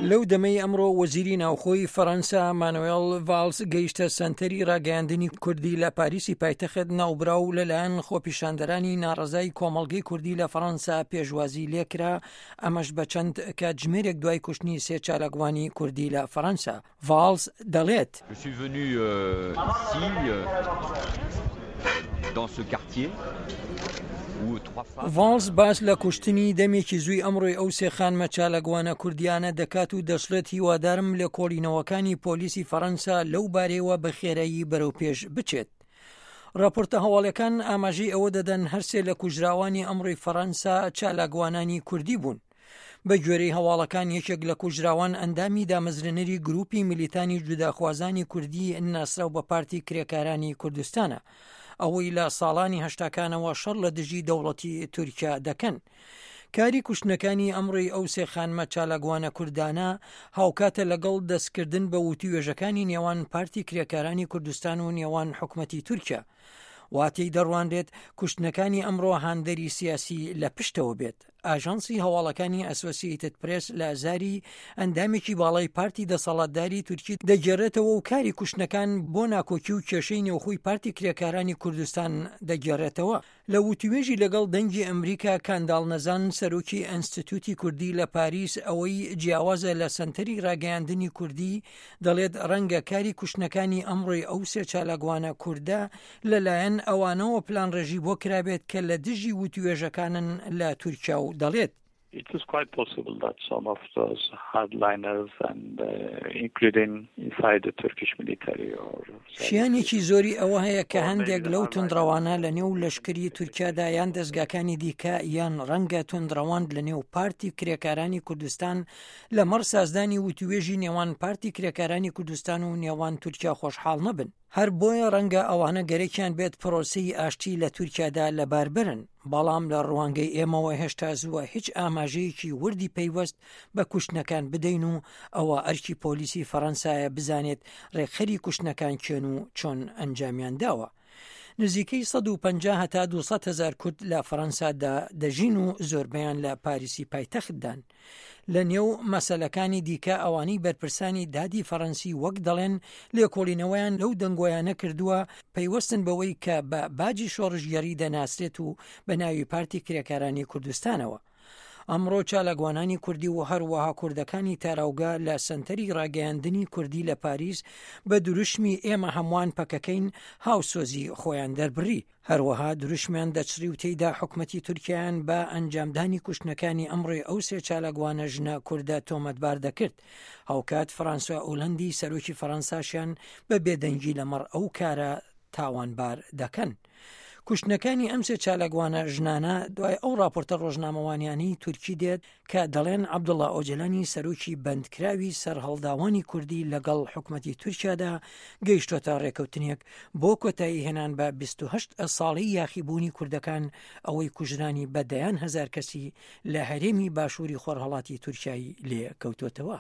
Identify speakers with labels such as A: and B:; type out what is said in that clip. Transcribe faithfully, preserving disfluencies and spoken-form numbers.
A: لەو دەمەی ئەمڕۆ وەزیری ناوخۆی فەرەنسا مانوێل ڤالس گەیشتە سەنتەری ڕاگەیاندنی کوردی لە پاریسی پایتەخت، ناوبراو لەلایەن خۆپیشاندەرانی ناڕەزای کۆمەڵگەی کوردی لە فەرەنسا پێشوازی لێکرا، ئەمەش بە چەند کاتژمێرێک دوای کوشتنی سێ چالاکوانی کوردی لە فەرەنسا. ڤالس دەڵێت:
B: Je suis venu euh, ici, euh, dans ce quartier, où trois femmes.
A: ڤاڵس باس لە کوشتنی دەمێکی زووی ئەمڕۆی ئەو سێ خانمە چالاکوانە کوردیانە دەکات و دەشڵێت هیوادارم لێکۆڵینەوەکانی پۆلیسی فەرەنسا لەو بارەیەوە بە خێرایی بەرەو پێش بچێت. راپۆرتە هەواڵەکان ئاماژەی ئەوە دەدەن هەرسێ لە کوژراوانی ئەمڕۆی فەرەنسا چالاکوانانی کوردی بوون. بە گوێرەی هەواڵەکان یەکێک لە کوژراوان ئەندامی دامەزرێنەری گروپی میلیتانی جوداخوازانی کوردی ناسراو بە پارتی کرێکارانی کوردستانە، ئەوەی لە ساڵانی هەشتاکانەوە شەڕ لە دژی دەوڵەتی تورکیا دەکەن. کاری کوشتنەکانی ئەمڕۆی ئەو سێ خانمە چالاکوانە کوردانە هاوکاتە لەگەڵ دەستکردن بە وتوێژەکانی نێوان پارتی کرێکارانی کوردستان و نێوان حکومەتی تورکیا. وا تێی دەڕوانرێت کوشتنەکانی ئەمڕۆ هاندەری سیاسی لە پشتەوە بێت. ئاژانسی هەواڵەکانی ئەسۆسیەیتد پرێس لە زاری ئەندامێکی باڵای پارتی دەسەڵاتداری تورکی دەگێڕێتەوە و کاری کوشتنەکان بۆ ناکۆکی و کێشەی نێوخۆی پارتی کرێکارانی کوردستان دەگێڕێتەوە. لە وتوێژی لەگەڵ دەنگی ئەمریکا کانداڵ نەزان سەرۆکی ئەنستیتوتی کوردی لە پاریس ئەوەی جیاوازە لە سەنتەری ڕاگەیاندنی کوردی دەڵێت ڕەنگە کاری کوشتنەکانی ئەمڕۆی ئەو سێ چالاکوانە کوردە لەلایەن ئەوانەوە پلانڕێژی بۆ کرابێت کە لە دژی وتوێژەکانن لە تورکیا و دەڵێت
C: It is quite possible that some of those hardliners and uh, including inside the Turkish military or
A: شیانێکی زۆری ئەوە هەیە کە هەندێک لەو توندڕەوانە لە نێو لەشکری تورکیادا یان دەستگاکانی دیکە یان ڕەنگە توندڕەوان لە نێو پارتی کرێکارانی کوردستان لەمەڕ سازدانی وتوێژی نێوان پارتی کرێکارانی کوردستان و نێوان تورکیا خۆشحاڵ نەبن. هەر بۆیە ڕەنگە ئەوانە گەرەکیان بێت پرۆسەی ئاشتی لە تورکیادا لەباربرن، بەڵام لە ڕوانگەی ئێمەوە هێشتا زووە هیچ ئاماژەیەکی وردی پەیوەست بە کوشتنەکان بدەین و ئەوە ئەرکی پۆلیسی فەڕەنسایە بزانێت ڕێکخەری کوشتنەکان کێن و چۆن ئەنجامیان داوە. نزیکەی سەد و پەنجا هەتا دوو سەد هەزار کورد لە فەڕەنسادا دەژین و زۆربەیان لە پاریسی پایتەختدان. لە نێو مەسەلەکانی دیکە ئەوانەی بەرپرسانی دادی فەڕەنسی وەک دەڵێن لێکۆڵینەوەیان لەو دەنگۆیانە کردووە پەیوەستن بەوەی کە بە باجی شۆڕشگێڕی دەناسرێت و بە ناوی پارتی کرێکارانی کوردستانەوە. ئەمڕۆ چالاکوانانی کوردی و هەروەها کوردەکانی تاراوگە لە سەنتەری ڕاگەیاندنی کوردی لە پاریس بە دروشمی ئێمە هەمووان پەکەکەین هاوسۆزی خۆیان دەربڕی. هەروەها دروشمیان دەچڕی و تێیدا حکومەتی تورکیایان بە ئەنجامدانی کوشتنەکانی ئەمڕۆی ئەو سێ چالاکوانە ژنە کوردە تۆمەتبار دەکرد. هاوکات فرانسوا ئۆلەندی سەرۆکی فەرەنساشیان بە بێدەنگی لەمەڕ ئەو کارە تاوانبار دەکەن. کوشتنەکانی ئەم سێ چالاکوانە ژنانە دوای ئەو راپۆرتە ڕۆژنامەوانیانەی تورکی دێت کە دەڵێن عەبدوڵا ئۆجەلانی سەرۆکی بەندکراوی سەرهەڵداوانی کوردی لەگەڵ حکومەتی تورکیادا گەیشتۆتە ڕێکەوتنێک بۆ کۆتایی هێنان بە بیست و هەشت ساڵەی یاخیبوونی کوردەکان ئەوەی کوژرانی بە دەیان هەزار کەسی لە هەرێمی باشووری خۆرهەڵاتی تورکیای لێ کەوتۆتەوە.